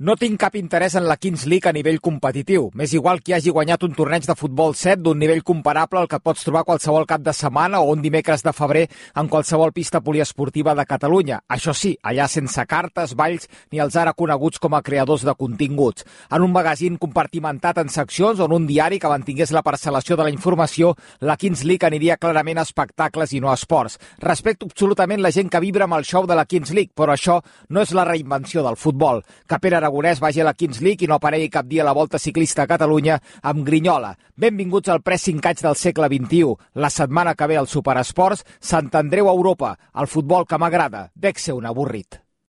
No tinc cap interès en la Kings League a nivell competitiu. M'és igual qui hagi guanyat un torneig de futbol 7 d'un nivell comparable al que pots trobar qualsevol cap de setmana o un dimecres de febrer en qualsevol pista poliesportiva de Catalunya. Això sí, allà sense cartes, balls ni els ara coneguts com a creadors de continguts. En un magazín compartimentat en seccions o en un diari que mantingués la parcel·lació de la informació, la Kings League aniria clarament a espectacles i no a esports. Respecto absolutament la gent que vibra amb el show de la Kings League, però això no és la reinvenció del futbol. Que Pere Aragonès vagi a la Kings League i no aparegui cap dia a la Volta Ciclista a Catalunya amb grinyola. Benvinguts al pressing-catch del segle XXI. La setmana que ve al Superesports, Sant Andreu a Europa. El futbol que m'agrada. Dec ser un avorrit.